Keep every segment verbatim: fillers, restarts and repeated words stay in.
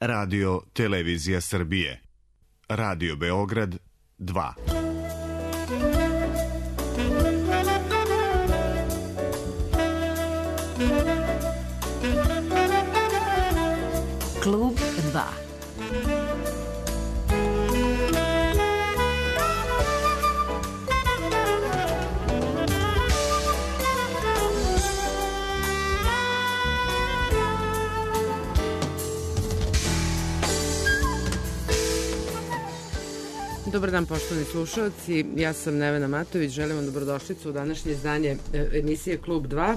Radio Televizija Srbije. Radio Beograd dva. Klub dva. Dobar dan, poštovani slušalci, ja sam Nevena Matović, želim vam dobrodošlicu u današnje izdanje emisije Klub dva.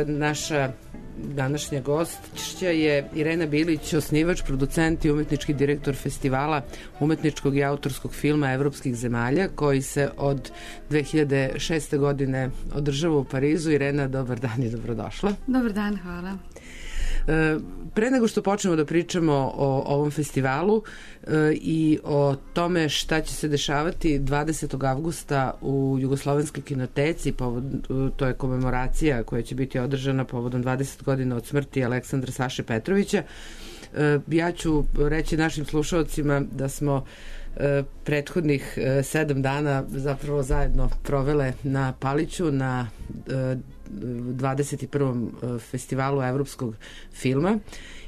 Naša današnja gostća je Irena Bilić, osnivač, producent i umetnički direktor festivala umetničkog i autorskog filma evropskih zemalja, koji se od dve hiljade šeste. godine održava u Parizu. Irena, dobar dan i dobrodošla. Dobar dan, hvala. Pre nego što počnemo da pričamo o ovom festivalu i o tome šta će se dešavati dvadesetog avgusta u Jugoslovenskoj kinoteci, to je komemoracija koja će biti održana povodom dvadeset godina od smrti Aleksandra Saše Petrovića, ja ću reći našim slušalcima da smo prethodnih sedam dana zapravo zajedno provele na Paliću na dvadeset prvom festivalu evropskog filma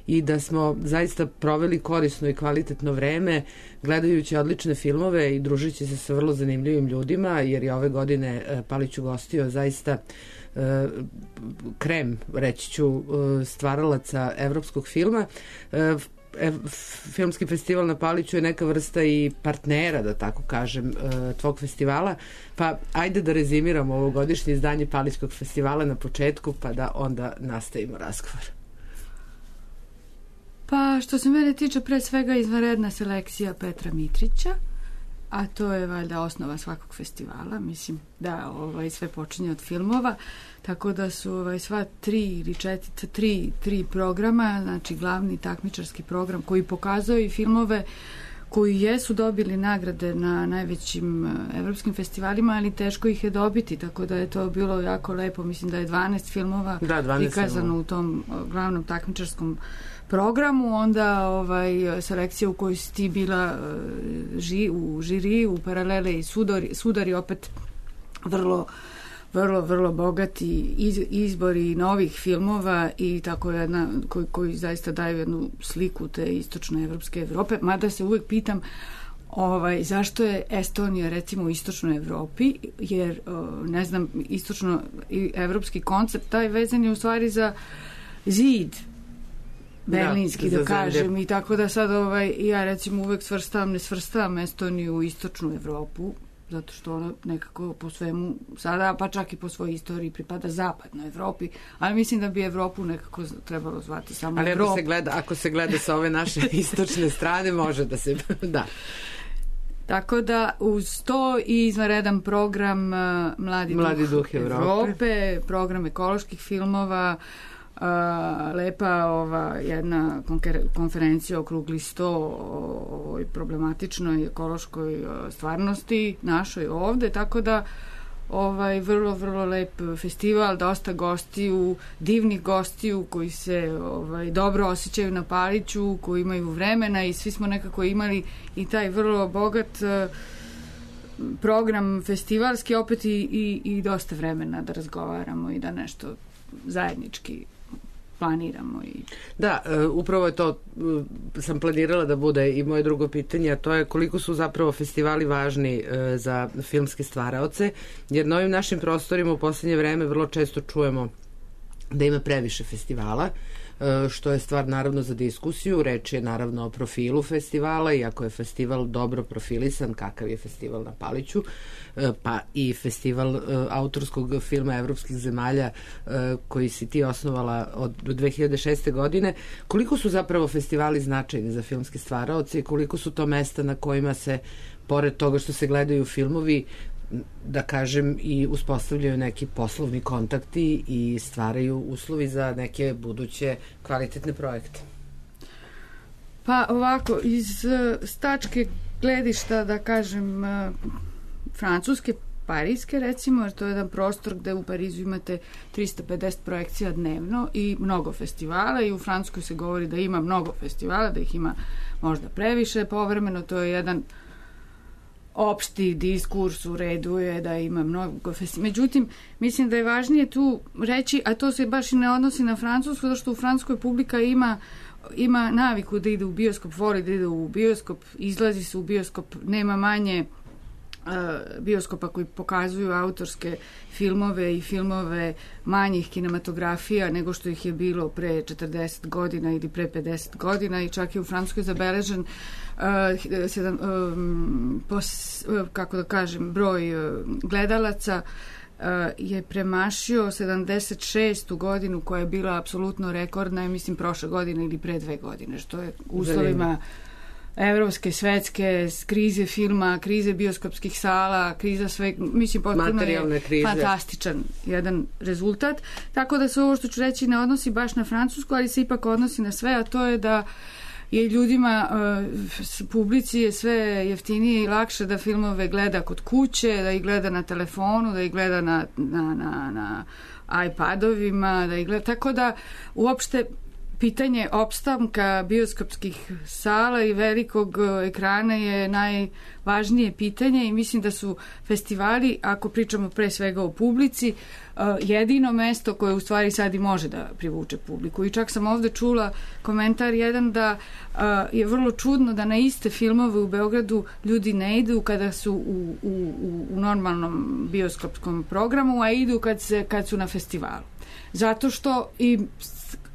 i da smo zaista proveli korisno i kvalitetno vreme gledajući odlične filmove i družeći se sa vrlo zanimljivim ljudima, jer je ove godine Palić ugostio zaista krem, reći ću, stvaralaca evropskog filma. Filmski festival na Paliću je neka vrsta i partnera, da tako kažem, tvog festivala, pa ajde da rezimiramo ovogodišnje izdanje Palićkog festivala na početku, pa da onda nastavimo razgovor. Pa što se mene tiče, pre svega izvanredna selekcija Petra Mitrića, a to je valjda osnova svakog festivala, mislim da ovaj, sve počinje od filmova, tako da su ovaj, sva tri ili četiri, tri, tri programa, znači glavni takmičarski program koji pokazuje i filmove koji jesu dobili nagrade na najvećim evropskim festivalima, ali teško ih je dobiti, tako da je to bilo jako lepo. Mislim da je dvanaest filmova da, dvanaest prikazano filmova u tom glavnom takmičarskom programu, onda ovaj, selekcija u kojoj si ti bila ži, u žiri, u paralele i sudari, sudari opet vrlo vrlo, vrlo bogati iz, izbori novih filmova i tako jedna, koji, koji zaista daju jednu sliku te istočne evropske Evrope, mada se uvek pitam ovaj, zašto je Estonija recimo u istočnoj Evropi, jer ne znam, istočno evropski koncept, taj vezan je u stvari za zid berlinski, da, da kažem, zemlje. I tako da sad ovaj, ja recimo uvek svrstavam, ne svrstavam Estoniju u istočnu Evropu, zato što ona nekako po svemu sada, pa čak i po svojoj istoriji pripada zapadnoj Evropi, ali mislim da bi Evropu nekako trebalo zvati samo ali Evropu. Ali ako se gleda, ako se gleda sa ove naše istočne strane, može da se, da. Tako da uz to i izvanredan program uh, Mladi, Mladi duh, duh Evrope. Evrope, program ekoloških filmova, Uh, lepa ova jedna konferencija, okrugli sto o ovoj problematičnoj ekološkoj stvarnosti našoj ovde, tako da ovaj vrlo, vrlo lep festival, dosta gostiju, divnih gostiju koji se ovaj, dobro osjećaju na Paliću, koji imaju vremena i svi smo nekako imali i taj vrlo bogat uh, program festivalski, opet i, i, i dosta vremena da razgovaramo i da nešto zajednički planiramo. I... Da, uh, upravo je to, uh, sam planirala da bude i moje drugo pitanje, a to je koliko su zapravo festivali važni uh, za filmske stvaraoce, jer na ovim našim prostorima u poslednje vreme vrlo često čujemo da ima previše festivala, što je stvar naravno za diskusiju. Reč je naravno o profilu festivala, i ako je festival dobro profilisan, kakav je festival na Paliću, pa i festival autorskog filma evropskih zemalja koji si ti osnovala od dve hiljade šeste. godine, koliko su zapravo festivali značajni za filmske stvaraoce i koliko su to mesta na kojima se, pored toga što se gledaju filmovi, da kažem, i uspostavljaju neki poslovni kontakti i stvaraju uslovi za neke buduće kvalitetne projekte? Pa ovako, iz stačke gledišta, da kažem, francuske Parijske, recimo, jer to je jedan prostor gde u Parizu imate trista pedeset projekcija dnevno i mnogo festivala, i u Francuskoj se govori da ima mnogo festivala, da ih ima možda previše povremeno. To je jedan opšti diskurs, u redu je da ima mnogo festivala. Međutim, mislim da je važnije tu reći, a to se baš i ne odnosi na Francusku, zato što u Francuskoj publika ima ima naviku da ide u bioskop, voli da ide u bioskop, izlazi se u bioskop, nema manje uh, bioskopa koji pokazuju autorske filmove i filmove manjih kinematografija nego što ih je bilo pre četrdeset godina ili pre pedeset godina, i čak je u Francuskoj zabeležen uh, sedam, um, pos, uh, kako da kažem, broj uh, gledalaca je premašio sedamdeset šestu godinu, koja je bila apsolutno rekordna, ja mislim prošle godine ili pre dve godine, što je uslovima evropske, svetske, krize filma, krize bioskopskih sala, kriza sve, mislim, potpuno je fantastičan jedan rezultat. Tako da se ovo što ću reći ne odnosi baš na Francusku, ali se ipak odnosi na sve, a to je da je ljudima, uh, publici je sve jeftinije i lakše da filmove gleda kod kuće, da ih gleda na telefonu, da ih gleda na, na, na, na iPadovima, da ih gleda, tako da uopšte pitanje opstanka bioskopskih sala i velikog ekrana je najvažnije pitanje, i mislim da su festivali, ako pričamo pre svega o publici, jedino mesto koje u stvari sad i može da privuče publiku. I čak sam ovde čula komentar jedan da je vrlo čudno da na iste filmove u Beogradu ljudi ne idu kada su u, u, u normalnom bioskopskom programu, a idu kad, se, kad su na festivalu. Zato što i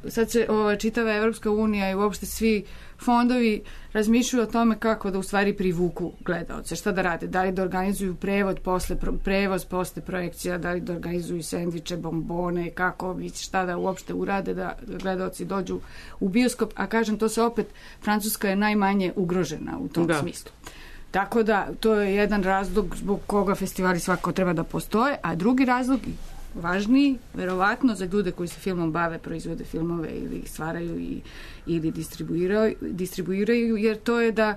sad se ova čitava Evropska unija i uopšte svi fondovi razmišljaju o tome kako da u stvari privuku gledaoce, šta da rade, da li da organizuju prevod posle, prevoz posle projekcija, da li da organizuju sendviče, bombone, kako, šta da uopšte urade da gledaoci dođu u bioskop, a kažem, to se opet, Francuska je najmanje ugrožena u tom da. smislu. Tako da, to je jedan razlog zbog koga festivali svako treba da postoje, a drugi razlog, važniji, verovatno, za ljude koji se filmom bave, proizvode filmove ili ih stvaraju i, ili distribuiraju, distribuiraju, jer to je da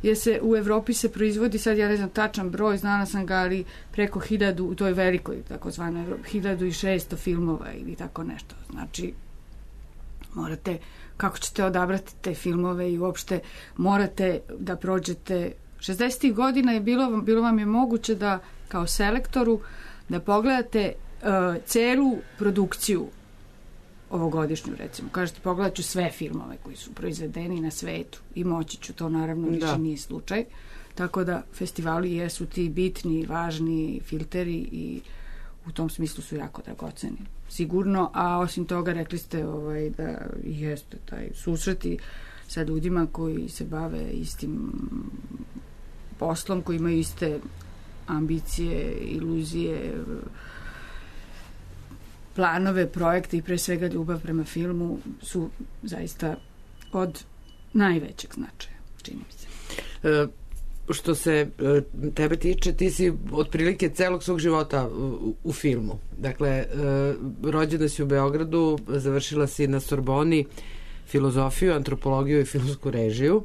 je se u Evropi se proizvodi, sad ja ne znam tačan broj, znala sam ga, ali preko hiljadu, u toj velikoj takozvanoj Evropi, hiljadu i šesto filmova ili tako nešto. Znači, morate, kako ćete odabrati te filmove i uopšte morate da prođete. šezdesetih godina je bilo, bilo vam je moguće da kao selektoru da pogledate Uh, celu produkciju ovogodišnju, recimo. Kažete, pogledat ću sve filmove koji su proizvedeni na svetu i moći ću, to naravno više da. nije slučaj. Tako da festivali jesu ti bitni, važni filteri i u tom smislu su jako dragoceni. Sigurno, a osim toga rekli ste ovaj, da jeste taj susreti sa ljudima koji se bave istim poslom, koji imaju iste ambicije, iluzije, planove, projekte i pre svega ljubav prema filmu su zaista od najvećeg značaja, čini mi se. E, što se e, tebe tiče, ti si otprilike celog svog života u, u filmu. Dakle, e, rođena si u Beogradu, završila si na Sorboni filozofiju, antropologiju i filmsku režiju.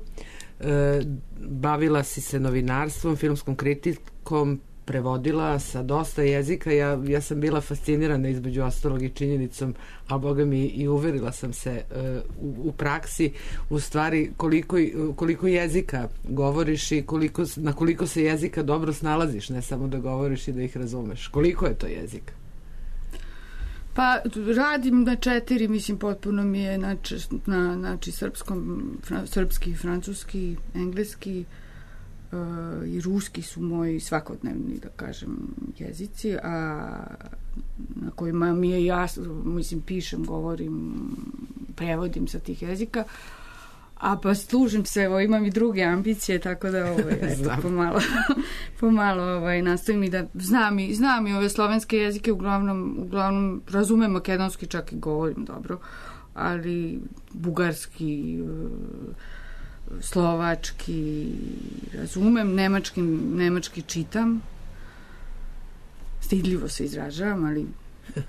E, bavila si se novinarstvom, filmskom kritikom, prevodila sa dosta jezika. Ja, ja sam bila fascinirana između ostalog i činjenicom, a boga mi i uverila sam se uh, u, u praksi u stvari koliko, koliko jezika govoriš i koliko, na koliko se jezika dobro snalaziš, ne samo da govoriš i da ih razumeš. Koliko je to jezika? Pa radim na četiri, mislim, potpuno mi je znači, na, znači srpskom, fra, srpski, francuski, engleski, Uh, i ruski su moji svakodnevni, da kažem, jezici, a na kojima mi je jasno, mislim, pišem, govorim, prevodim sa tih jezika, a pa služim se, evo, imam i druge ambicije, tako da ovaj, eto, pomalo, pomalo ovaj, nastavim i da znam i, znam i ove slovenske jezike, uglavnom, uglavnom razumem makedonski, čak i govorim dobro, ali bugarski, slovački razumem, nemački, nemački čitam, stidljivo se izražavam, ali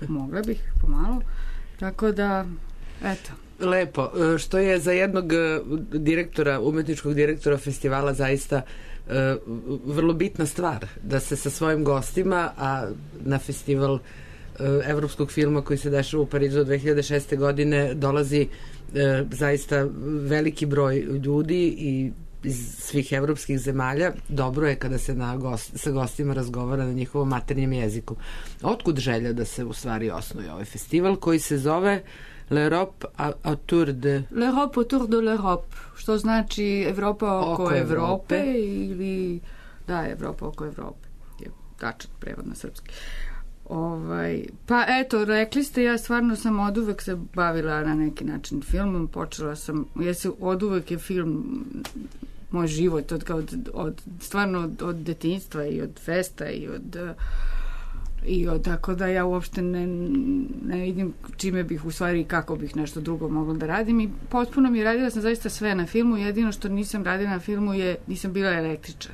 mogla bih pomalo, tako da eto. Lepo, što je za jednog direktora, umetničkog direktora festivala zaista vrlo bitna stvar, da se sa svojim gostima, a na festival evropskog filma koji se dešava u Parizu od dve hiljade šeste. godine dolazi zaista veliki broj ljudi i iz svih evropskih zemalja. Dobro je kada se na gost, sa gostima razgovara na njihovom maternjem jeziku. Otkud želja da se u stvari osnuje ovaj festival koji se zove L'Europe autour de... L'Europe autour de l'Europe, što znači Evropa oko, oko Evrope, Evrope ili da, Evropa oko Evrope. Je tačan prevod na srpski. Ovaj, pa eto, rekli ste, ja stvarno sam od uvek se bavila na neki način filmom, počela sam, ja se od uvek je film moj život, od, od, od stvarno od, od detinjstva i od festa i od i od, tako da ja uopšte ne, ne vidim čime bih u stvari, kako bih nešto drugo mogla da radim i potpuno mi radila sam zaista sve na filmu, jedino što nisam radila na filmu je, nisam bila električar.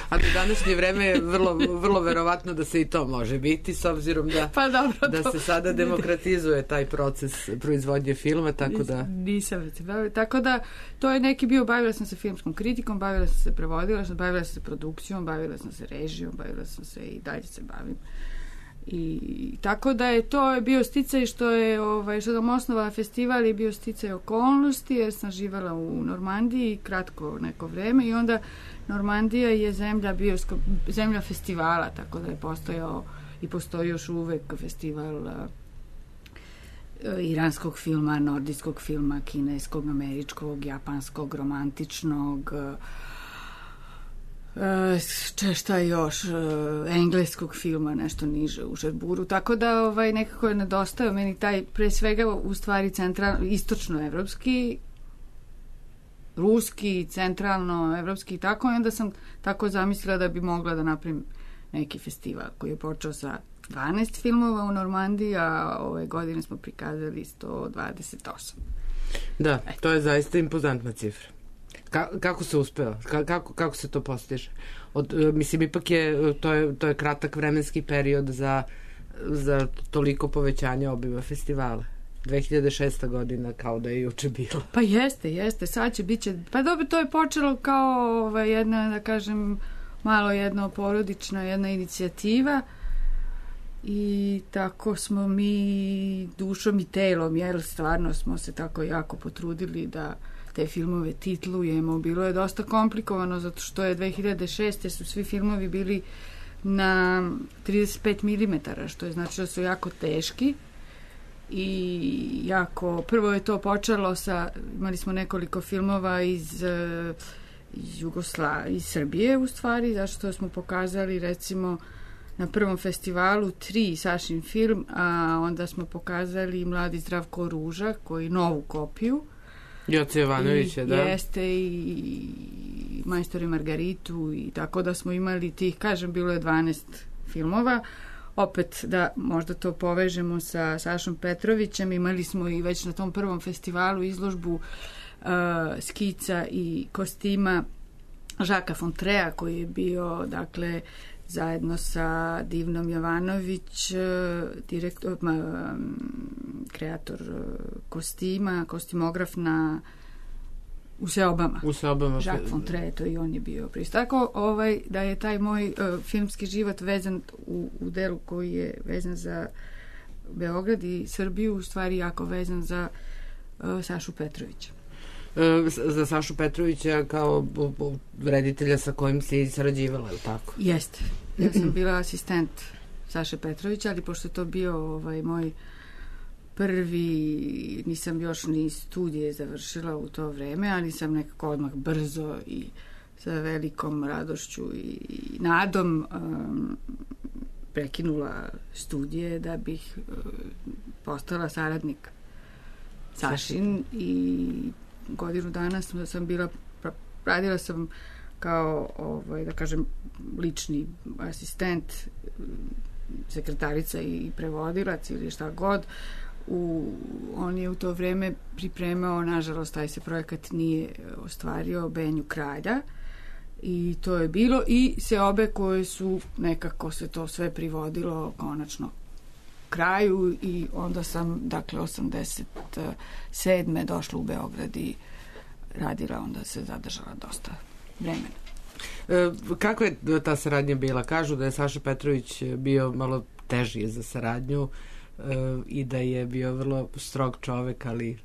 A do današnje vreme je vrlo, vrlo verovatno da se i to može biti, s obzirom da, pa dobro, da se sada demokratizuje taj proces proizvodnje filma, tako da... Nisam se bavila, tako da to je neki bio, bavila sam se filmskom kritikom, bavila sam se prevodila, bavila sam se produkcijom, bavila sam se režijom, bavila sam se i dalje se bavim. I tako da je to je bio sticaj što je ovaj, što sam osnovala festival je bio sticaj okolnosti jer sam živela u Normandiji kratko neko vreme i onda Normandija je zemlja bioskop, zemlja festivala, tako da je postojao i postoji još uvek festival uh, iranskog filma, nordijskog filma, kineskog, američkog, japanskog, romantičnog, uh, šta još, uh, engleskog filma, nešto niže u Žerburu, tako da ovaj, nekako je nedostao meni taj, pre svega u stvari central, istočno-evropski, ruski, centralno, evropski i tako, i onda sam tako zamislila da bi mogla da napravim neki festival koji je počeo sa dvanaest filmova u Normandiji, a ove godine smo prikazali sto dvadeset osam. Da, to je zaista impozantna cifra. Ka, kako se uspeo? Ka, kako, kako se to postiže? Od, mislim, ipak je to, je, to je kratak vremenski period za, za toliko povećanje obima festivala. dve hiljade šesta. godina kao da je juče bilo. Pa jeste, jeste, sad će biće, pa dobro, to je počelo kao ovaj, jedna, da kažem, malo jedno porodična, jedna inicijativa i tako smo mi dušom i telom, jer stvarno smo se tako jako potrudili da te filmove titlujemo. Bilo je dosta komplikovano zato što je dve hiljade šeste. su svi filmovi bili na trideset pet milimetara, što je znači da su jako teški. I jako, prvo je to počelo sa, imali smo nekoliko filmova iz, iz Jugosla, iz Srbije u stvari, zašto smo pokazali recimo na prvom festivalu tri Sašin film, a onda smo pokazali Mladi Zdravko Ruža, koji novu kopiju. Joce Jovanovića, da. Jeste i Majstor i Margaritu i tako da smo imali tih, kažem, bilo je dvanaest filmova. Opet da možda to povežemo sa Sašom Petrovićem, imali smo i već na tom prvom festivalu izložbu uh, skica i kostima Žaka Fontrea koji je bio dakle zajedno sa Divnom Jovanović, direktor, kreator kostima, kostimograf na u Seobama. U Seobama. Jacques Fontre, to i on je bio pristo. Tako ovaj, da je taj moj uh, filmski život vezan u, u delu koji je vezan za Beograd i Srbiju, u stvari jako vezan za uh, Sašu Petrovića. E, za Sašu Petrovića kao reditelja sa kojim si sarađivala, je li tako? Jeste. Ja sam bila asistent Saše Petrovića, ali pošto je to bio ovaj, moj prvi, nisam još ni studije završila u to vreme, ali sam nekako odmah brzo i sa velikom radošću i nadom um, prekinula studije da bih uh, postala saradnik Sašin i godinu dana sam, sam bila, radila sam kao, ovaj, da kažem, lični asistent, sekretarica i prevodilac ili šta god. U, on je u to vreme pripremao, nažalost, taj se projekat nije ostvario, Benju kralja i to je bilo i Seobe koje su nekako se to sve privodilo konačno kraju i onda sam, dakle, osamdeset sedme došla u Beograd i radila, onda se zadržala dosta vremena. E, kakva je ta saradnja bila? Kažu da je Saša Petrović bio malo teži za saradnju e, i da je bio vrlo strog čovek, ali...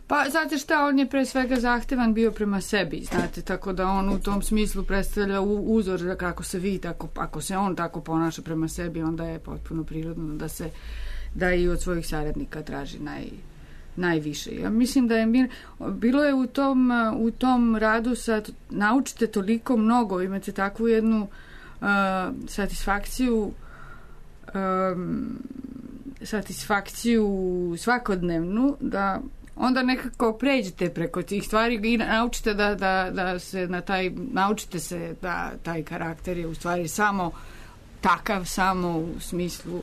Pa, znate šta, on je pre svega zahtevan bio prema sebi, znate, tako da on u tom smislu predstavlja uzor kako se vi, tako, ako se on tako ponaša prema sebi, onda je potpuno prirodno da se, da i od svojih saradnika traži naj, najviše. Ja mislim da je bilo je u tom, u tom radu sad, naučite toliko mnogo, imate takvu jednu uh, satisfakciju um, satisfakciju svakodnevnu, da onda nekako pređete preko tih stvari i naučite da, da, da se na taj, naučite se da taj karakter je u stvari samo takav, samo u smislu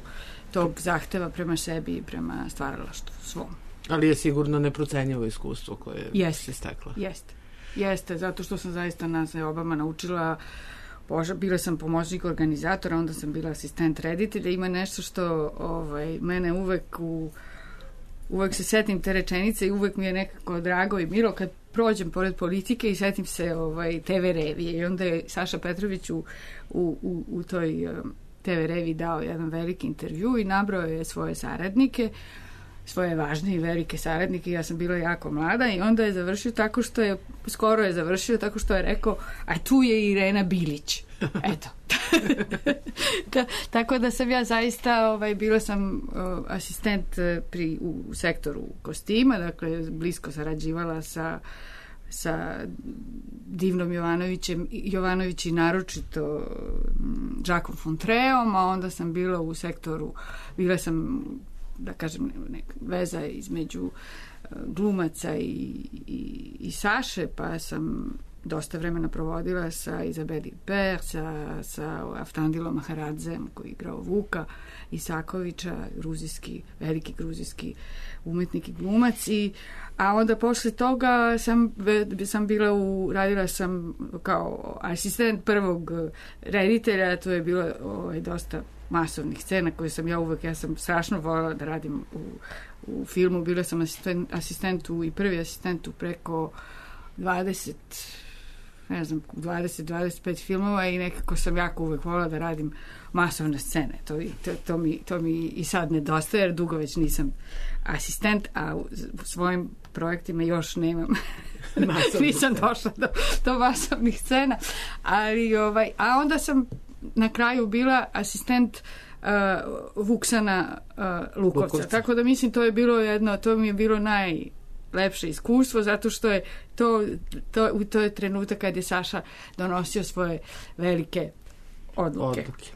tog zahteva prema sebi i prema stvaralaštvu svom. Ali je sigurno neprocenjivo iskustvo koje jeste, se stekla. Jeste, jeste, zato što sam zaista na Obama naučila. Bože, bila sam pomoćnik organizatora, onda sam bila asistent reditelja. Ima nešto što ovaj, mene uvek u uvek se setim te rečenice i uvek mi je nekako drago i milo kad prođem pored politike i setim se ovaj, te ve revije. I onda je Saša Petrović u, u, u, u toj um, te ve reviji dao jedan veliki intervju i nabrao je svoje saradnike, svoje važne i velike saradnike. Ja sam bila jako mlada i onda je završio tako što je, skoro je završio tako što je rekao, a tu je Irena Bilić. Eto. Ta, tako da sam ja zaista, ovaj, bila sam uh, asistent pri, u, u sektoru kostima, dakle blisko sarađivala sa sa Divnom Jovanovićem, Jovanović i naročito Jacques Fontreom, a onda sam bila u sektoru, bila sam, da kažem, neka veza između glumaca i, i, i Saše, pa sam dosta vremena provodila sa Izabeli Per, sa, sa Aftandilom Maharadzem koji je igrao Vuka Isakovića, gruzijski, veliki gruzijski umetnik i glumac. I, a onda posle toga sam, sam bila u, radila sam kao asistent prvog reditelja, to je bilo ovaj, dosta masovnih scena koje sam ja uvek, ja sam strašno voljela da radim u, u filmu. Bila sam asistent, asistentu i prvi asistentu preko dvadeset, ne znam, dvadeset do dvadeset pet filmova i nekako sam jako uvek voljela da radim masovne scene. To, to, to, mi, to mi i sad nedostaje, jer dugo već nisam asistent, a u svojim projektima još nemam. Nisam došla do, do masovnih scena. Ali, ovaj, a onda sam na kraju bila asistent uh, Vuksana uh, Lukovca. Lukovca. Tako da mislim to je bilo jedno, to mi je bilo najlepše iskustvo, zato što je to, to, to je trenutak kad je Saša donosio svoje velike odluke. Odluke.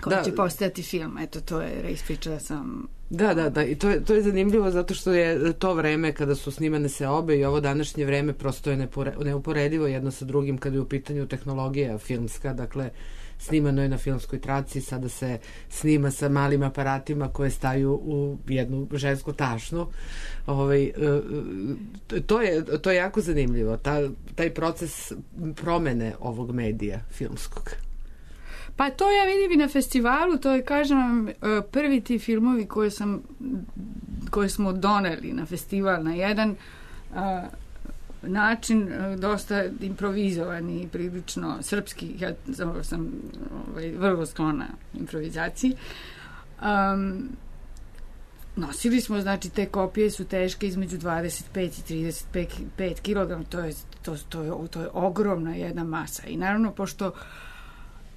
Koji da, će postojati film. Eto, to je ispričala sam. Da, da, da. I to je, to je zanimljivo zato što je to vreme kada su snimane se obe i ovo današnje vreme prosto je nepore, neuporedivo jedno sa drugim kada je u pitanju tehnologija filmska. Dakle, snimano je na filmskoj traci, sada se snima sa malim aparatima koje staju u jednu žensku tašnu. Ovaj, to, je, to je jako zanimljivo. Ta, taj proces promene ovog medija filmskog. Pa to ja vidim i na festivalu, to je, kažem vam, prvi ti filmovi koje sam, koje smo doneli na festival na jedan a, način, dosta improvizovan i prilično srpski. Ja sam ovaj, vrlo sklona improvizaciji. Um, nosili smo, znači, te kopije su teške između dvadeset pet i trideset pet kilograma, to je, to, to, je, to je ogromna jedna masa. I naravno, pošto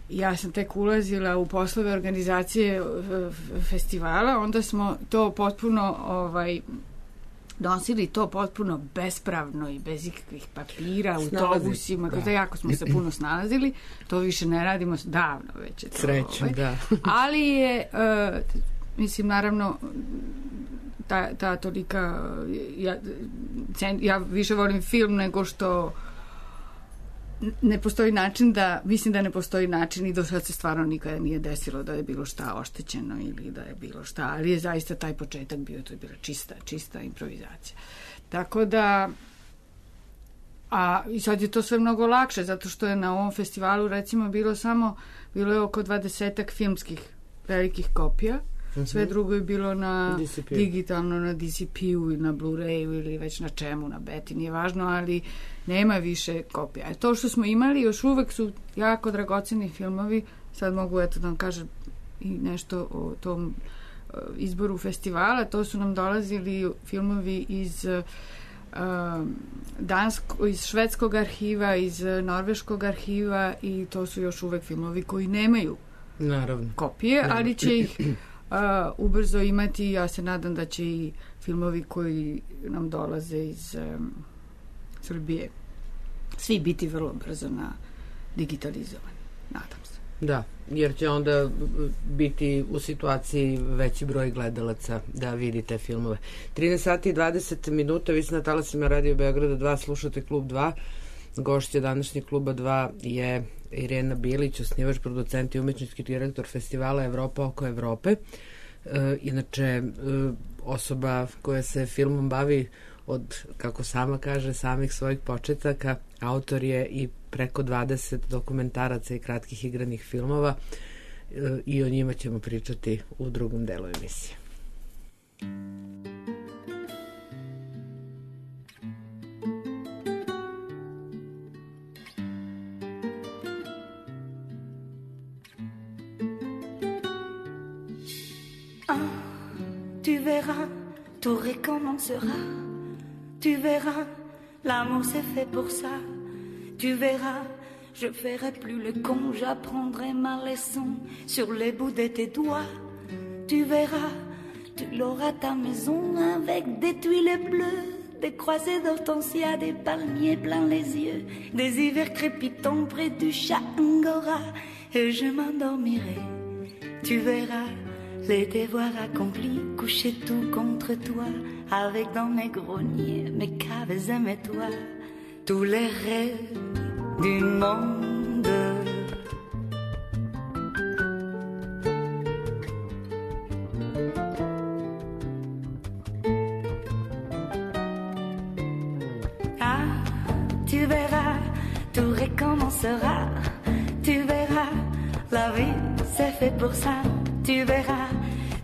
ja sam tek ulazila u poslove organizacije festivala, onda smo to potpuno ovaj, nosili to potpuno bespravno i bez ikakvih papira, autobusima, da. Jako smo se puno snalazili, to više ne radimo davno već. Srećom, ovaj. Da. Ali je, uh, mislim, naravno, ta, ta tolika, ja, ja više volim film nego što ne postoji način da, mislim da ne postoji način i do sad se stvarno nikada nije desilo da je bilo šta oštećeno ili da je bilo šta, ali je zaista taj početak bio, to je bila čista, čista improvizacija. Tako da, a i sad je to sve mnogo lakše, zato što je na ovom festivalu recimo bilo samo, bilo je oko dvadesetak filmskih velikih kopija, Uh-huh. Sve drugo je bilo na D C P. digitalno, na D C P-u, na Blu-rayu ili već na čemu, na beti, nije važno, ali nema više kopija. E, to što smo imali, još uvek su jako dragoceni filmovi. Sad mogu eto da vam kažem i nešto o tom uh, izboru festivala. To su nam dolazili filmovi iz uh, Dansko, iz švedskog arhiva, iz norveškog arhiva i to su još uvek filmovi koji nemaju Naravno. kopije, ali će ih uh, ubrzo imati. Ja se nadam da će i filmovi koji nam dolaze iz um, Srbije svi biti vrlo brzo na digitalizovani. Nadam se. Da, jer će onda biti u situaciji veći broj gledalaca da vidi te filmove. trinaest sati i dvadeset minuta, vi ste na talasima Radio Beograda dva, slušate Klub dva. Gošća današnjeg Kluba dva je Irena Bilić, osnivač, producent i umetnički direktor festivala Evropa oko Evrope. E, inače, e, osoba koja se filmom bavi od, kako sama kaže, samih svojih početaka. Autor je i preko dvadeset dokumentaraca i kratkih igranih filmova e, i o njima ćemo pričati u drugom delu emisije. Tu verras, tout recommencera. Tu verras, l'amour c'est fait pour ça. Tu verras, je ferai plus le con, j'apprendrai ma leçon sur les bouts de tes doigts. Tu verras, tu l'auras ta maison avec des tuiles bleues, des croisées d'hortensia, des palmiers plein les yeux, des hivers crépitants près du chat Angora. Et je m'endormirai, tu verras. Les devoirs accomplis, coucher tout contre toi, avec dans mes greniers, mes caves et mes toits, tous les rêves du monde. Ah, tu verras, tout recommencera, tu verras, la vie c'est fait pour ça. Tu verras,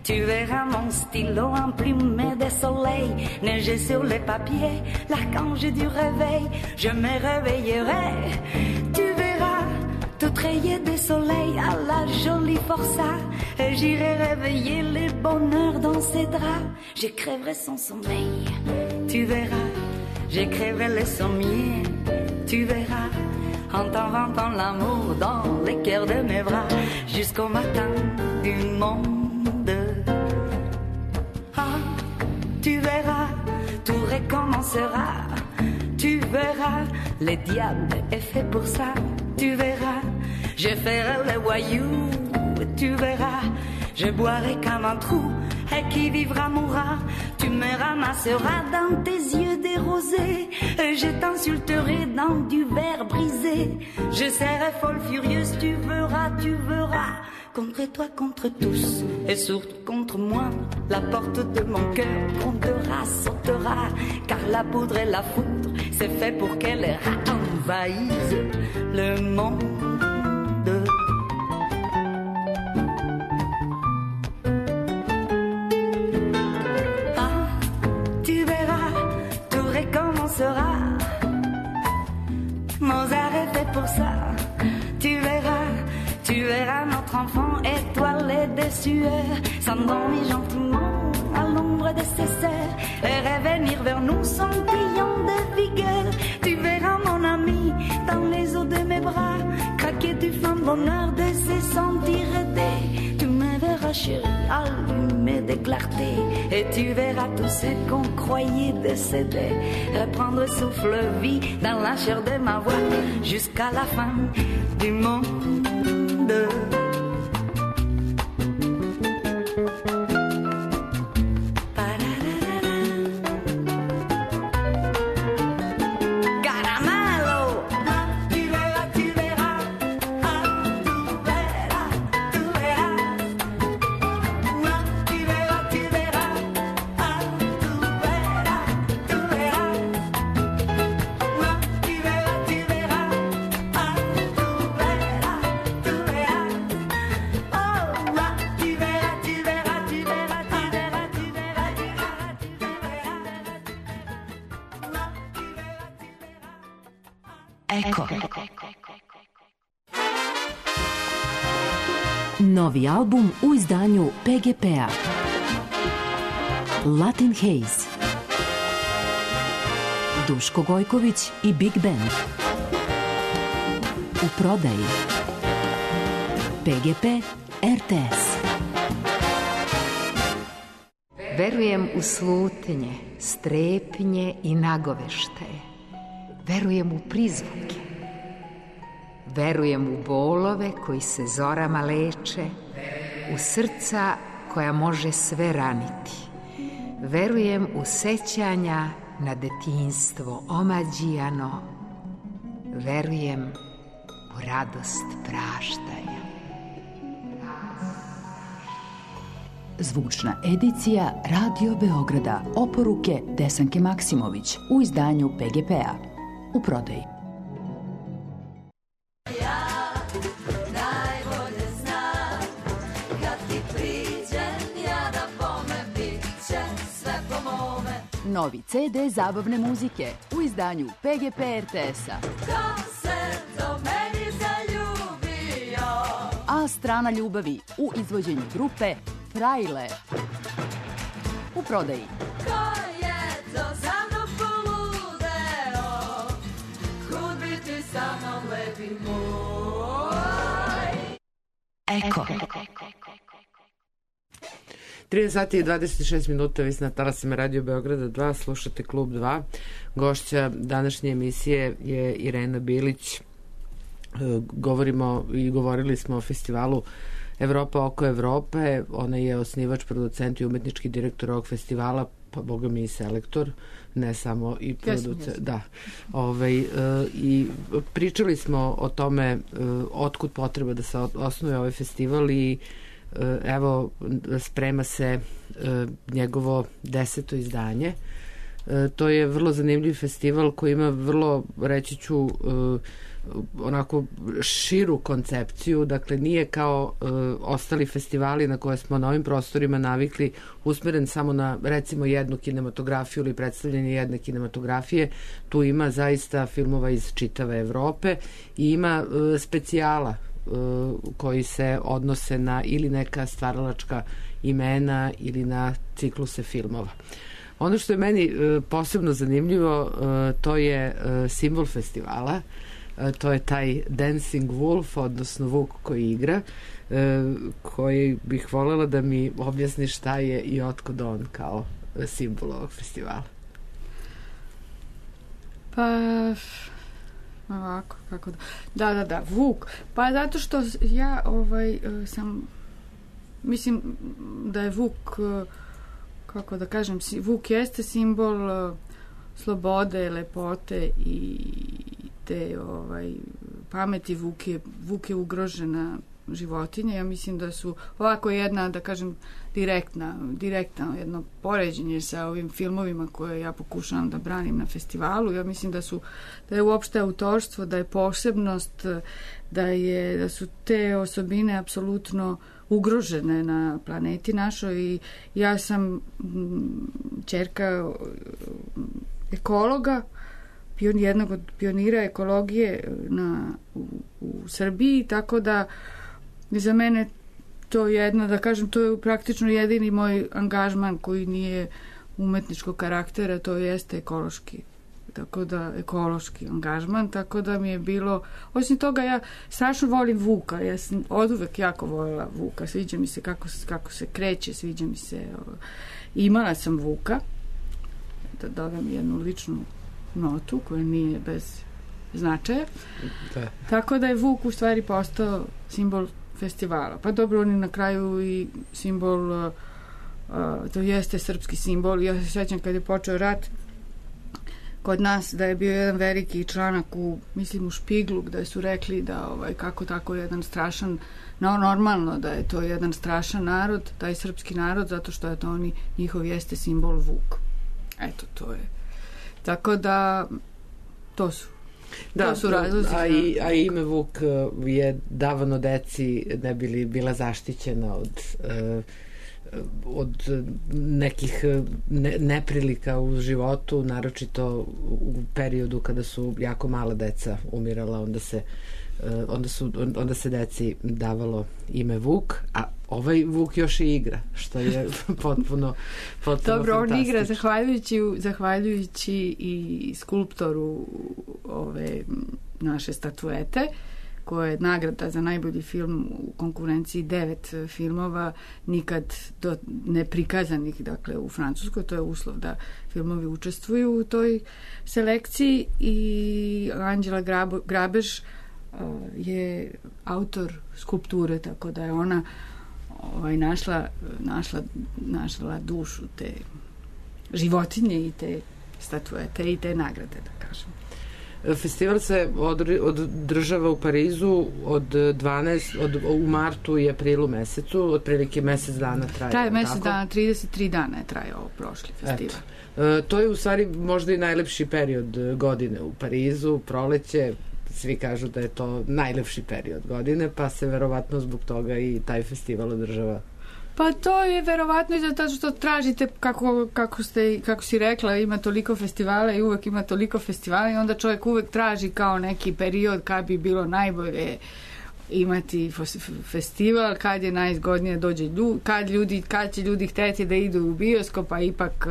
tu verras mon stylo emplumé de soleil, neiger sur les papiers, l'archange du réveil, je me réveillerai. Tu verras, tout rayé de soleil à la jolie forçat, et j'irai réveiller les bonheurs dans ses draps. Je crèverai son sommeil, tu verras, je crèverai les sommiers, tu verras, en t'inventant l'amour dans les cœurs de mes bras, jusqu'au matin du monde. Ah, tu verras, tout recommencera. Tu verras, le diable est fait pour ça. Tu verras, je ferai le voyou. Tu verras, je boirai comme un trou. Et qui vivra mourra. Tu me ramasseras dans tes yeux des rosés. Et je t'insulterai dans du verre brisé. Je serai folle furieuse, tu verras, tu verras. Contre toi, contre tous, et surtout contre moi. La porte de mon cœur grondera, sautera. Car la poudre et la foudre, c'est fait pour qu'elle envahisse le monde. Ah, tu verras, tout recommencera. Mozart est fait pour ça. Tu verras, tu verras notre enfant étoilé de sueur, s'endormir gentiment à l'ombre de ses sœurs et revenir vers nous scintillant de vigueur. Tu verras mon ami dans les eaux de mes bras craquer du fin bonheur de se sentir aidé. Tu me verras chérie allumé de clarté et tu verras tout ce qu'on croyait décédé reprendre souffle vie dans la chair de ma voix jusqu'à la fin du monde. Eko. Novi album u izdanju P G P-a. Latin Haze. Duško Gojković i Big Band. U prodaji. P G P R T S. Verujem u slutnje, strepnje i nagoveštaje. Verujem u prizvuke. Verujem u bolove koji se zorama leče, u srca koja može sve raniti. Verujem u sećanja na detinjstvo omađijano. Verujem u radost praštanja. Zvučna edicija Radio Beograda. Oporuke Desanke Maksimović u izdanju P G P-a. U prodaji. Novi C D zabavne muzike u izdanju P G P R T S-a. Ko se do meni zaljubio? A strana ljubavi u izvođenju grupe Frajle. U prodaji. Ko je to za mnom poludeo? Kud bi ti sa mnom lepi moj? Eko. trideset sati i dvadeset šest minuta, vi ste na talasima Radio Beograda dva, slušate Klub dva. Gošća današnje emisije je Irena Bilić. Govorimo i govorili smo o festivalu Evropa oko Evrope. Ona je osnivač, producent i umetnički direktor ovog festivala, pa boga mi i selektor, ne samo i producent. Da. Ovaj, i pričali smo o tome otkud potreba da se osnuje ovaj festival i evo sprema se njegovo deseto izdanje. To je vrlo zanimljiv festival koji ima vrlo, reći ću, onako širu koncepciju, dakle nije kao ostali festivali na koje smo na ovim prostorima navikli usmeren samo na recimo jednu kinematografiju ili predstavljanje jedne kinematografije. Tu ima zaista filmova iz čitave Evrope i ima specijala koji se odnose na ili neka stvaralačka imena ili na cikluse filmova. Ono što je meni posebno zanimljivo, to je simbol festivala, to je taj Dancing Wolf, odnosno Vuk koji igra, koji bih voljela da mi objasni šta je i otkud on kao simbol ovog festivala. Pa... Ovako, kako da... Da, da, da, Vuk. Pa zato što ja ovaj, sam... Mislim da je Vuk, kako da kažem, Vuk jeste simbol slobode, lepote i te ovaj, pameti. Vuk je, Vuk je ugrožena životinja. Ja mislim da su ovako jedna, da kažem, direktna, direktno jedno poređenje sa ovim filmovima koje ja pokušavam da branim na festivalu. Ja mislim da su, da je uopšte autorstvo, da je posebnost, da je, da su te osobine apsolutno ugrožene na planeti našoj i ja sam ćerka ekologa, jednog od pionira ekologije na, u, u Srbiji, tako da za mene to je jedno, da kažem, to je praktično jedini moj angažman koji nije umetničkog karaktera, to jeste ekološki, tako da ekološki angažman, tako da mi je bilo, osim toga ja strašno volim Vuka, ja sam oduvek jako voljela Vuka, sviđa mi se kako, kako se kreće, sviđa mi se, imala sam Vuka, da dodam jednu ličnu notu koja nije bez značaja, da. Tako da je Vuk u stvari postao simbol festivala. Pa dobro, on je na kraju i simbol, uh, to jeste srpski simbol. Ja se sjećam kad je počeo rat kod nas da je bio jedan veliki članak u, mislim u Špiglu, gde su rekli da ovaj, kako tako jedan strašan, no normalno da je to jedan strašan narod, taj srpski narod, zato što je to oni, njihov jeste simbol Vuk. Eto, to je. Tako da to su Da, su razlozi, a, i, a ime Vuk je davano deci ne bi li bila zaštićena od uh, od nekih ne, neprilika u životu, naročito u periodu kada su jako mala deca umirala, onda se onda su onda se deci davalo ime Vuk, a ovaj Vuk još i igra, što je potpuno potpuno dobro, on igra zahvaljujući zahvaljujući i skulptoru ove naše statuete, koja je nagrada za najbolji film u konkurenciji devet filmova nikad do neprikazanih, dakle u Francuskoj, to je uslov da filmovi učestvuju u toj selekciji, i Anđela Grabo, Grabež je autor skulpture, tako da je ona ovaj, našla, našla, našla dušu te životinje i te statuete i te nagrade, da kažem. Festival se održava u Parizu od dvanaest od, u martu i aprilu mesecu, otprilike mesec dana traje. Traje mesec dana, trideset tri dana je trajao prošli festival. Eto. To je u stvari možda i najlepši period godine u Parizu, proleće. Svi kažu da je to najlepši period godine, pa se verovatno zbog toga i taj festival održava. Pa to je verovatno i zato što tražite, kako, kako, ste, kako si rekla, ima toliko festivala i uvek ima toliko festivala i onda čovjek uvek traži kao neki period kad bi bilo najbolje imati festival, kad je najzgodnije dođe ljudi, kad, ljudi, kad će ljudi hteti da idu u bioskop, a ipak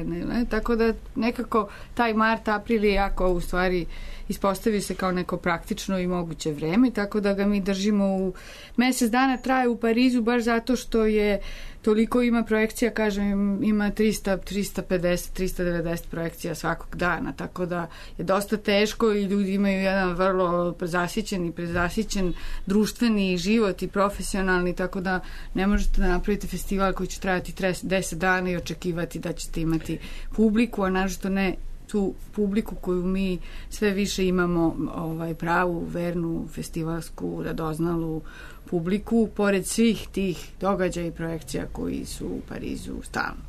ne, ne, tako da nekako taj mart, april je jako u stvari ispostavi se kao neko praktično i moguće vreme, tako da ga mi držimo u mesec dana traje u Parizu, baš zato što je toliko ima projekcija, kažem, ima trista, trista pedeset, trista devedeset projekcija svakog dana, tako da je dosta teško i ljudi imaju jedan vrlo zasićen i prezasićen društveni život i profesionalni, tako da ne možete da napravite festival koji će trajati deset dana i očekivati da ćete imati publiku, a nažalost ne tu publiku koju mi sve više imamo, ovaj, pravu, vernu, festivalsku, radoznalu publiku, pored svih tih događaja i projekcija koji su u Parizu stalno.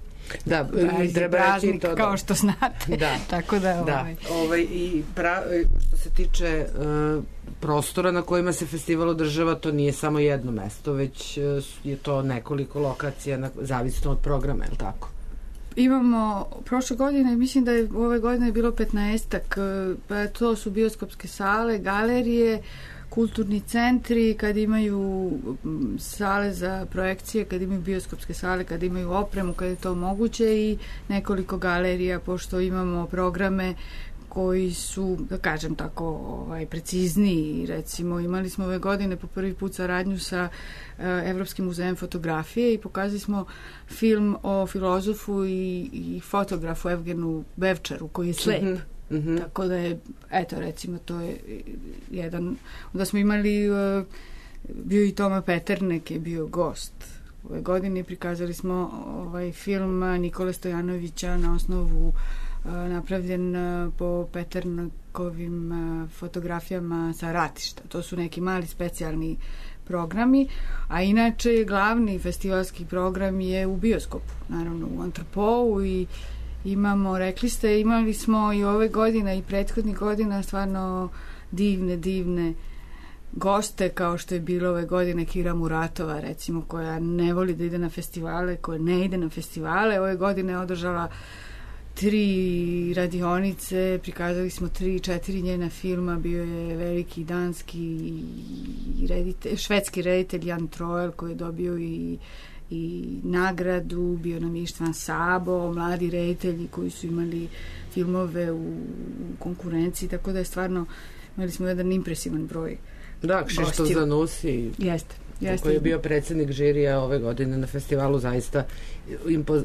Da, i treba reći to, kao što znate. Da. Tako da, da. Ovaj. Ovaj, i pra, što se tiče uh, prostora na kojima se festival održava, to nije samo jedno mesto, već uh, je to nekoliko lokacija, na, zavisno od programa, je li tako? Imamo prošle godine, mislim da je ove godine bilo petnaestak, pa to su bioskopske sale, galerije, kulturni centri, kad imaju sale za projekcije, kad imaju bioskopske sale, kad imaju opremu, kad je to moguće, i nekoliko galerija, pošto imamo programe koji su, da kažem tako, ovaj, precizniji. Recimo, imali smo ove godine po prvi put saradnju sa uh, Evropskim muzejem fotografije i pokazali smo film o filozofu i, i fotografu Evgenu Bevčaru, koji je slep. Mm-hmm. Mm-hmm. Tako da je, eto, recimo, to je jedan, onda smo imali, uh, bio i Toma Peternek je bio gost. Ove godine prikazali smo ovaj film Nikole Stojanovića na osnovu napravljen po Peternakovim fotografijama sa ratišta. To su neki mali specijalni programi, a inače glavni festivalski program je u bioskopu, naravno u Antropou, i imamo, rekli ste, imali smo i ove godine i prethodnih godina stvarno divne, divne goste, kao što je bilo ove godine Kira Muratova, recimo, koja ne voli da ide na festivale, koja ne ide na festivale. Ove godine je održala tri radionice, prikazali smo tri, četiri njena filma, bio je veliki danski reditelj, švedski reditelj Jan Troel, koji je dobio i, i nagradu, bio nam Ištvan Sabo, mladi reditelji koji su imali filmove u, u konkurenciji, tako da je stvarno, imali smo jedan impresivan broj. Da, Kšištof Zanussi. Jeste. Jeste. Koji je bio predsjednik žirija ove godine na festivalu, zaista impoz...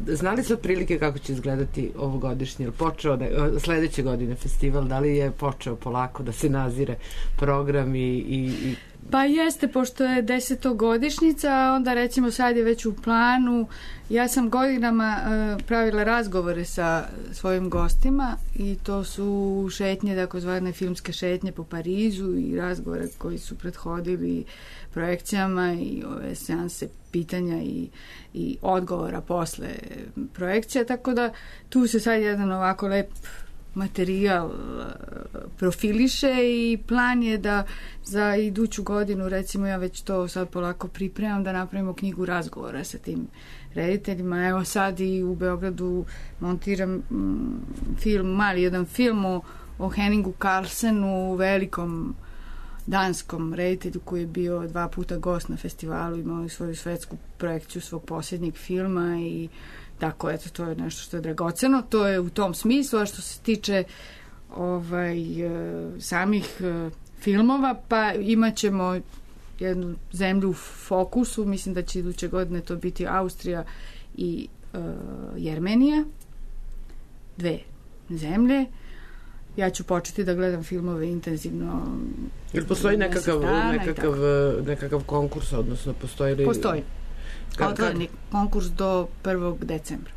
znali su otprilike kako će izgledati ovogodišnji, ili počeo da, sledeće godine festival, da li je počeo polako da se nazire program i, i, i... Pa jeste, pošto je desetogodišnjica, onda recimo sad je već u planu. Ja sam godinama uh, pravila razgovore sa svojim gostima i to su šetnje, takozvane filmske šetnje po Parizu i razgovore koji su prethodili projekcijama i ove seanse pitanja i, i odgovora posle projekcija, tako da tu se sad jedan ovako lep materijal profiliše i plan je da za iduću godinu, recimo ja već to sad polako pripremam, da napravimo knjigu razgovora sa tim rediteljima. Evo sad i u Beogradu montiram mm, film, mali jedan film o, o Henningu Carlsenu, velikom danskom reditelju koji je bio dva puta gost na festivalu, imao svoju svetsku projekciju svog posljednjeg filma i tako, eto, to je nešto što je dragoceno. To je u tom smislu, a što se tiče ovaj, samih filmova, pa imat ćemo jednu zemlju u fokusu, mislim da će iduće godine to biti Austrija i uh, Jermenija, dve zemlje. Ja ću početi da gledam filmove intenzivno. Ili postoji nekakav, nekakav, nekakav konkurs, odnosno postoji li... Postoji. Otvoreni konkurs do prvog decembra.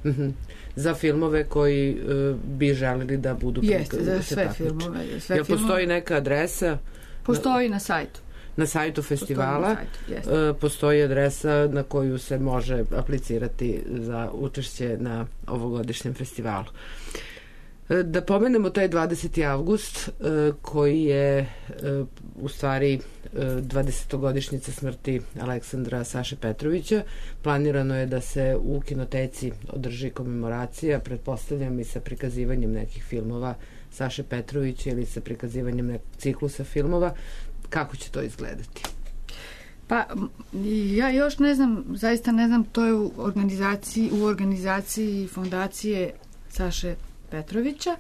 Uh-huh. Za filmove koji uh, bi želeli da budu... Jeste, za sve filmove. Sve Jel filmove. Postoji neka adresa? Postoji na sajtu. Na sajtu festivala na sajtu, uh, postoji adresa na koju se može aplicirati za učešće na ovogodišnjem festivalu. Da pomenemo taj dvadeseti avgust koji je u stvari dvadesetogodišnjica smrti Aleksandra Saše Petrovića. Planirano je da se u kinoteci održi komemoracija, pretpostavljam i sa prikazivanjem nekih filmova Saše Petrovića ili sa prikazivanjem nekog ciklusa filmova. Kako će to izgledati? Pa ja još ne znam, zaista ne znam, to je u organizaciji, u organizaciji fondacije Saše Petrovića.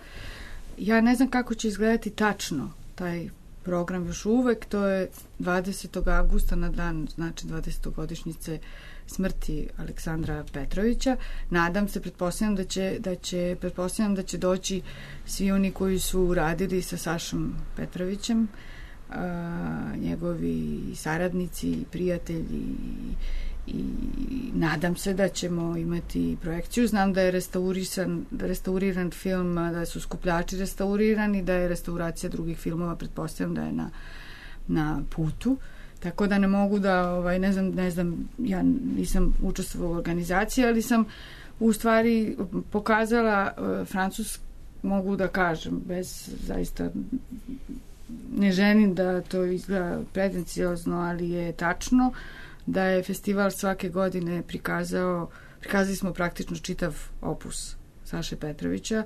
Ja ne znam kako će izgledati tačno taj program još uvek. To je dvadesetog avgusta na dan, znači dvadesetogodišnjice smrti Aleksandra Petrovića. Nadam se, pretpostavljam da će, da će, pretpostavljam da će doći svi oni koji su radili sa Sašom Petrovićem, a, njegovi saradnici, prijatelji i nadam se da ćemo imati projekciju. Znam da je restauriran, restauriran film, da su skupljači restaurirani, da je restauracija drugih filmova, pretpostavljam da je na, na putu. Tako da ne mogu da, ovaj, ne znam, ne znam, ja nisam učestvovala u organizaciji, ali sam u stvari pokazala uh, Francus, mogu da kažem, bez zaista ne želim da to izgleda pretenciozno, ali je tačno da je festival svake godine prikazao, prikazali smo praktično čitav opus Saše Petrovića,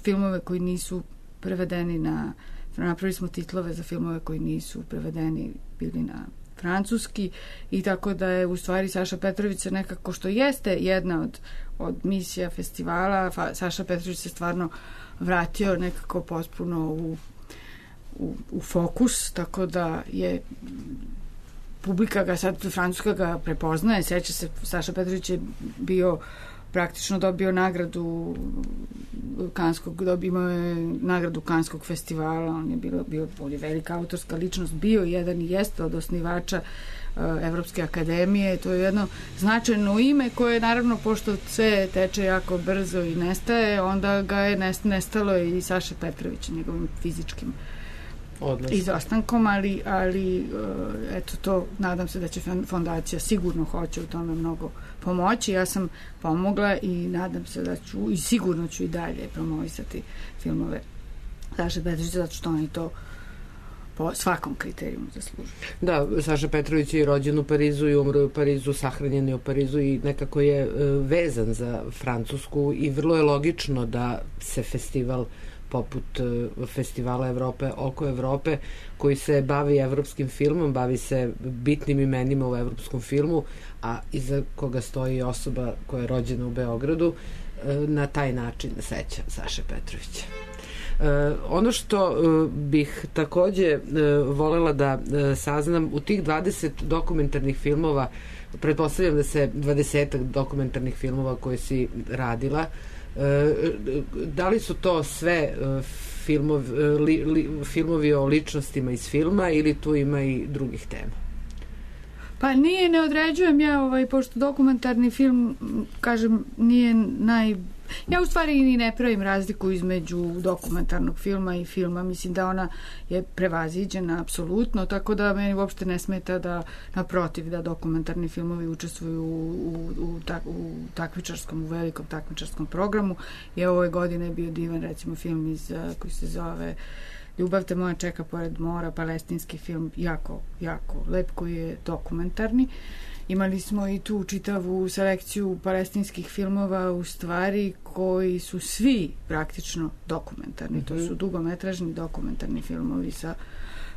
filmove koji nisu prevedeni na, napravili smo titlove za filmove koji nisu prevedeni bili na francuski i tako da je u stvari Saša Petrović nekako, što jeste jedna od, od misija festivala, Fa, Saša Petrović se stvarno vratio nekako potpuno u, u, u fokus, tako da je publika ga sad, Francuska ga prepoznaje, seća se, Saša Petrović je bio, praktično dobio nagradu Kanskog, dobio je nagradu Kanskog festivala, on je bilo, bio, on je velika autorska ličnost, bio jedan i jeste od osnivača uh, Evropske akademije, to je jedno značajno ime koje naravno, pošto sve teče jako brzo i nestaje, onda ga je nestalo i Saša Petrovića, njegovim fizičkim Odnosno. izostankom, ali, ali eto to, nadam se da će fondacija sigurno hoće u tome mnogo pomoći. Ja sam pomogla i nadam se da ću i sigurno ću i dalje promovisati filmove Saše Petrovića, zato što oni to po svakom kriterijumu zaslužuju. Da, Saša Petrović je rođen u Parizu i umro u Parizu, sahranjen je u Parizu i nekako je vezan za Francusku i vrlo je logično da se festival poput Festivala Evrope oko Evrope, koji se bavi evropskim filmom, bavi se bitnim imenima u evropskom filmu, a iza koga stoji osoba koja je rođena u Beogradu, na taj način seća Saše Petrovića. Ono što bih takođe volela da saznam, u tih dvadeset dokumentarnih filmova, pretpostavljam da se dvadesetak dokumentarnih filmova koje si radila, da li su to sve filmovi, li, li, filmovi o ličnostima iz filma ili tu ima i drugih tema? Pa nije, ne određujem ja, ovaj, pošto dokumentarni film, kažem, nije ja u stvari i ne pravim razliku između dokumentarnog filma i filma, mislim da ona je prevaziđena apsolutno, tako da meni uopšte ne smeta da, naprotiv, da dokumentarni filmovi učestvuju u, u, u, tak, u takmičarskom, u velikom takmičarskom programu. I ove godine je bio divan, recimo, film iz, koji se zove Ljubav te moja čeka pored mora, palestinski film, jako, jako lep, koji je dokumentarni. Imali smo i tu čitavu selekciju palestinskih filmova, u stvari, koji su svi praktično dokumentarni. Mm-hmm. To su dugometražni dokumentarni filmovi sa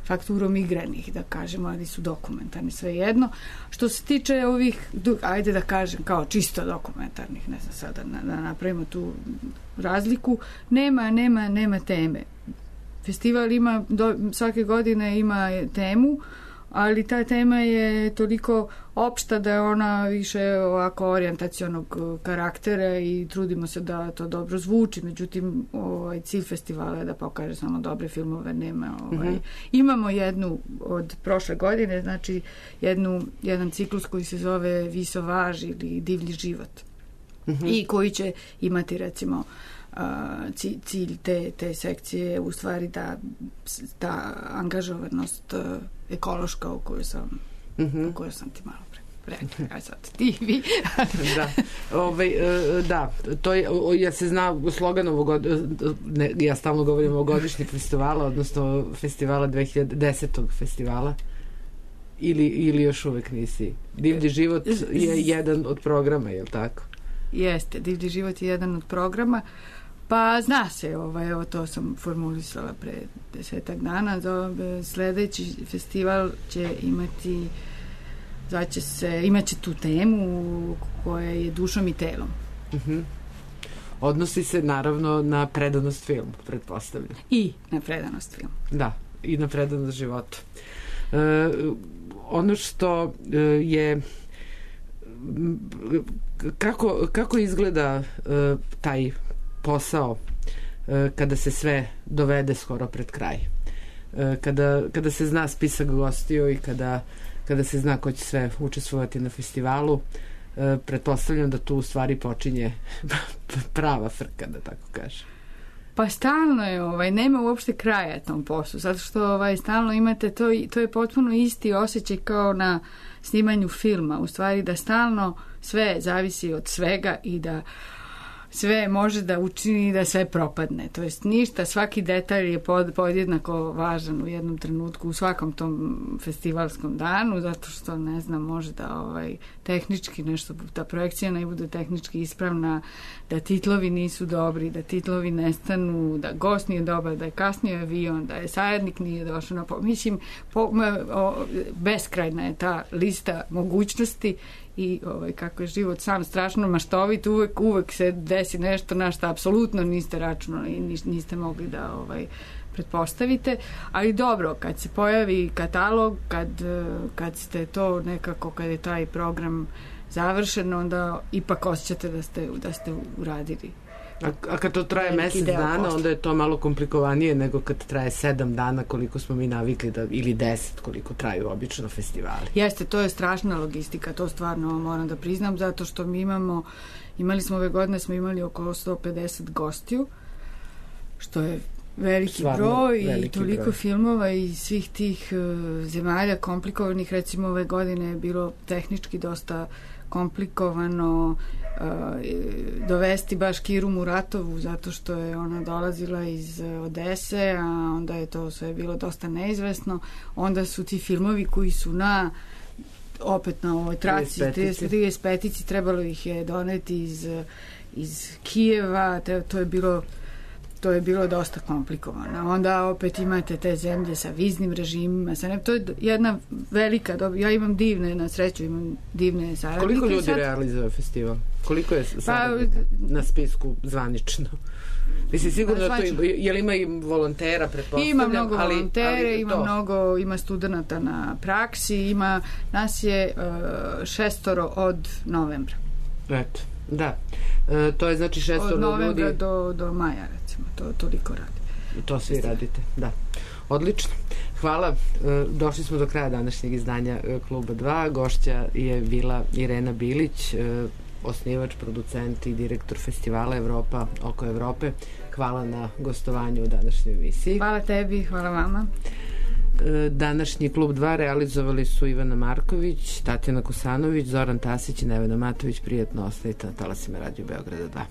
fakturom igranih, da kažemo, ali su dokumentarni svejedno. Što se tiče ovih, ajde da kažem, kao čisto dokumentarnih, ne znam sada da, da napravimo tu razliku, nema, nema, nema teme. Festival ima, do, svake godine ima temu, ali ta tema je toliko opšta da je ona više ovako orijentacionog karaktera i trudimo se da to dobro zvuči, međutim ovaj, cilj festivala je da pokaže samo dobre filmove, nema ovaj. Mm-hmm. Imamo jednu od prošle godine, znači jednu, jedan ciklus koji se zove Visovaž ili Divlji život, mm-hmm. i koji će imati, recimo, cilj te, te sekcije u stvari da ta angažovanost ekološka u kojoj sam, mm-hmm. u kojoj sam ti malo pre rekla, aj sad ti vi. Da, ovaj, da, to je, ja se zna slogan ovog, ne, ja stalno govorim o godišnjeg festivala, odnosno festivala dve hiljade desetog festivala, ili, ili još uvek nisi. Divlji život je jedan od programa, je li tako? Jeste, Divlji život je jedan od programa. Pa zna se, ovaj, evo to sam formulisala pre desetak dana, sledeći festival će imati, zvaće se, imaće tu temu koja je dušom i telom. Uh-huh. Odnosi se naravno na predanost filmu, pretpostavljam. I na predanost filmu. Da, i na predanost životu. E, ono što je kako, kako izgleda e, taj posao e, kada se sve dovede skoro pred kraj, e, kada, kada se zna spisak gostiju i kada, kada se zna ko će sve učestvovati na festivalu, e, pretpostavljam da tu u stvari počinje prava frka, da tako kažem. Pa stalno je, ovaj, nema uopšte kraja tom poslu, zato što ovaj, stalno imate to, to je potpuno isti osjećaj kao na snimanju filma, u stvari da stalno sve zavisi od svega i da sve može da učini da sve propadne. To jest ništa, svaki detalj je pod, podjednako važan u jednom trenutku, u svakom tom festivalskom danu, zato što, ne znam, može da ovaj, tehnički nešto, ta projekcija ne bude tehnički ispravna, da titlovi nisu dobri, da titlovi nestanu, da gost nije dobar, da je kasnio avion, da je saradnik nije došao na po... Mislim, po, o, beskrajna je ta lista mogućnosti i ovaj, kako je život sam strašno maštovit, uvek, uvek se desi nešto na što apsolutno niste računali i niste mogli da ovaj, pretpostavite, ali dobro, kad se pojavi katalog, kad, kad ste to nekako, kad je taj program završen, onda ipak osjećate da ste, da ste uradili. A, a kad to traje mesec dana, posla, onda je to malo komplikovanije nego kad traje sedam dana koliko smo mi navikli da, ili deset koliko traju obično festivali. Jeste, to je strašna logistika, to stvarno moram da priznam, zato što mi imamo, imali smo ove godine, smo imali oko sto pedeset gostiju, što je veliki stvarno broj veliki i toliko broj filmova i svih tih uh, zemalja komplikovanih. Recimo ove godine je bilo tehnički dosta komplikovano uh, dovesti baš Kiru Muratovu, zato što je ona dolazila iz Odese, a onda je to sve bilo dosta neizvesno. Onda su ti filmovi koji su na opet na ovoj traci trideset petici, trebalo ih je doneti iz, iz Kijeva, te, to je bilo to je bilo dosta komplikovano. Onda opet imate te zemlje sa viznim režimima, sa ne, to je jedna velika doba. Ja imam divne, na sreću imam divne saradnike. Koliko ljudi sad realizuje festival? Koliko je saradnika pa, na spisku zvanično? Mislim, sigurno da to ima, je li ima i volontera, pretpostavljam? Ima mnogo ali, volontere, ali ima to mnogo, ima studenta na praksi, ima, nas je uh, šestoro od novembra. Eto, da. E, to je znači šestoro ljudi. Od novembra ljudi do, do maja, recimo, to toliko radi. To svi radite, da. Odlično. Hvala. E, došli smo do kraja današnjeg izdanja Kluba dva. Gošća je bila Irena Bilić, e, osnivač, producent i direktor festivala Evropa oko Evrope. Hvala na gostovanju u današnjoj emisiji. Hvala tebi, hvala vama. Današnji Klub dva realizovali su Ivana Marković, Tatjana Kosanović, Zoran Tasić i Nevena Matović. Prijetno ostavite na talasima Radio Beograda dva.